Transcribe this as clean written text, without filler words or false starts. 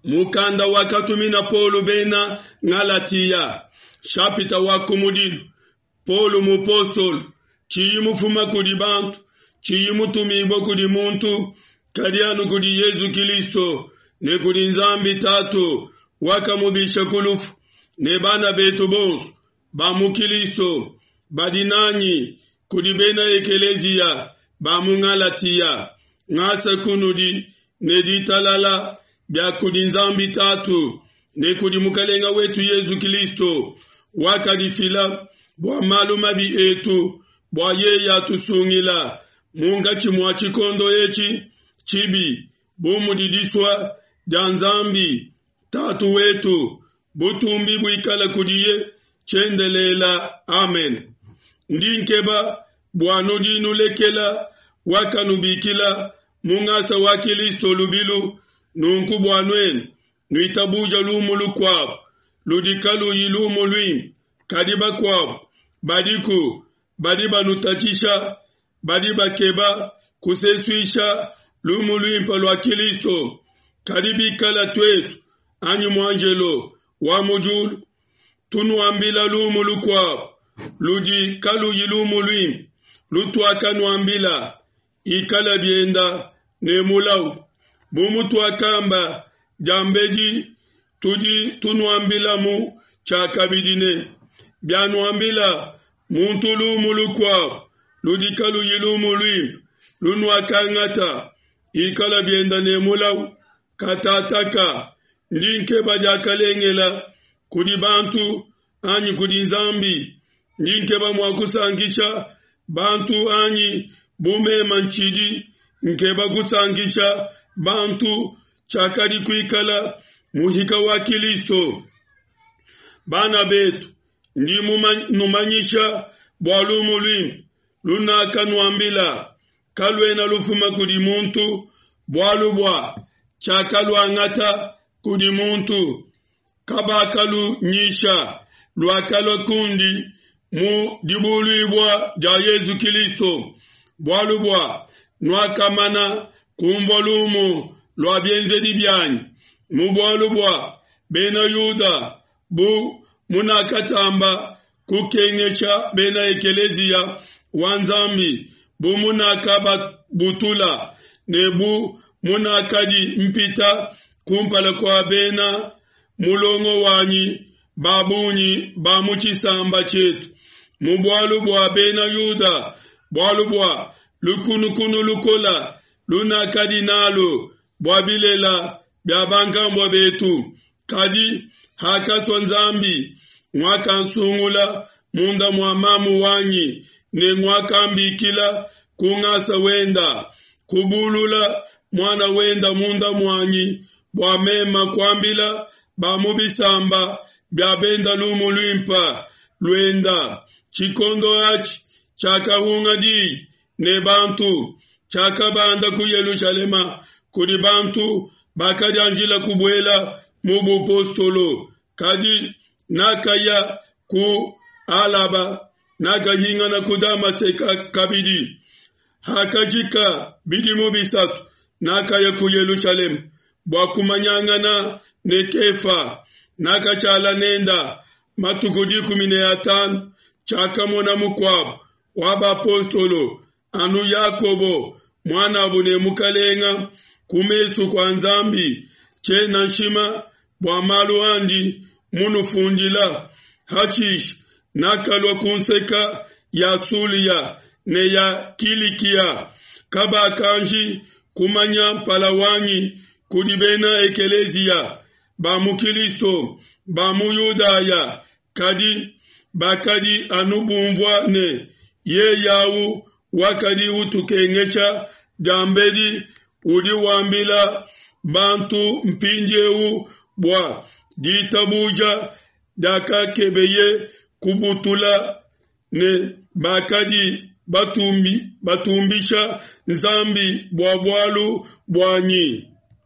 Mukanda wakatumina Paulo bena Ngalatiya, shapita wa kumudilu. Paulo mupostolo, tshiyi mufuma kudi bantu, tshiyi mutumibue kudi muntu, kadi anu kudi Yezu Kilisto ne kudi Nzambi Tatu wakamubisha ku lufu, ne bana betu bonso ba mu Kilisto badi nanyi, kudi bena ekeleziya ba mu Ngalatiya, ngasa kunudi ne ditalala bia kudi Nzambi Tatu ne kudi Mukalenga wetu Yezu Kilisto, wakadifila bua malu mabi etu, bua yeye atusungila munkatshi mua tshikondo etshi tshibi, bu mudi disua dia Nzambi Tatu wetu. Butumbi buikale kudiye tshiendelela. Amen. Ndi nkeba bua nudi nulekela wakanubikila mu ngasa wa Kilisto lubilu, nunku bua nuenu nuitabuja lumu lukuabu ludi kaluyi lumu luimpe, kadi bakuabu badiku badi banutatshisha, badi bakeba kusesuisha lumu luimpe lua Kilisto. Kadi bikala tuetu anyi muanjelo wa mu diulu tunuambila lumu lukuabu ludi kaluyi lumu luimpe lutuakanuambila, ikala bienda ne mulau. Bu mutuakamba diambedi, tudi tunuambilamu tshiakabidi ne, bianuambila muntu lumu lukuabu ludi kaluyi lumu luimpe lunuakangata, ikala bienda ne mulau. Katataka ndi nkeba diakalengela kudi bantu anyi kudi Nzambi? Ndi nkeba mua kusankisha bantu anyi? Bu mema ntshidi nkeba kusankisha bantu, tshiakadi kuikala muhika wa Kilisto. Bana betu, ndi numanyisha bua lumu luimpe lunakanuambila, kaluena lufuma kudi muntu, bualu bua tshiakaluangata kudi muntu, kabakalunyisha, luakalua kundi mu dibuluibua dia Yezu Kilisto, bualu bua nuakamana kumvua lumu lua bienzedi bianyi mu bualu bua bena Yuda, bu munakatamba kukengesha bena ekeleziya wa Nzambi, bu munakababutula ne bu munakadi mpita kumpala kua bena mulongo wanyi ba bungi ba mu tshisamba tshietu mu bualu bua bena Yuda, bualu bua lukunukunu lukola lunakadi nalu bua bilela bia bankambua betu. Kadi hakasua Nzambi, nguakansungula munda mua mamu wanyi ne nguakambikila ku ngasa wenda, kubulula muana wenda munda muanyi bua mema kuambila ba mu bisamba bia benda lumu luimpa luenda. Tshikondo atshi tshiakahunga diyi ne bantu, tshiakabanda ku Yelushalema kudi bantu bakadianjila kubuela mu bupostolo, kadi nakaya ku Alaba, nakahingana ku Damaseka kabidi. Hakajika bidimu bisatu, nakaya ku Yelushalema bua kumanyangana ne Kefa, nakatshala nenda matuku 15. Tshiakamona mukuabu wa bapostolo anu Yakobo muanabu ne Mukalenga ku mesu kua Nzambi. Tshiena nshima bua malu andi munufundila. Hatshisha nakalua ku nseka ya Sulia ne ya Kilikia, kabakanji kumanya mpala wanyi kudi bena ekeleziya ba mu Kilisto ba mu Yudaya, kadi bakadi anu bumvua ne yeyawu wakadi utukengesha diambedi udi wambila bantu mpindieu bua ditabuja diakakebeye kubutula ne bakadi batumbi, batumbisha Nzambi bua bualu buanyi.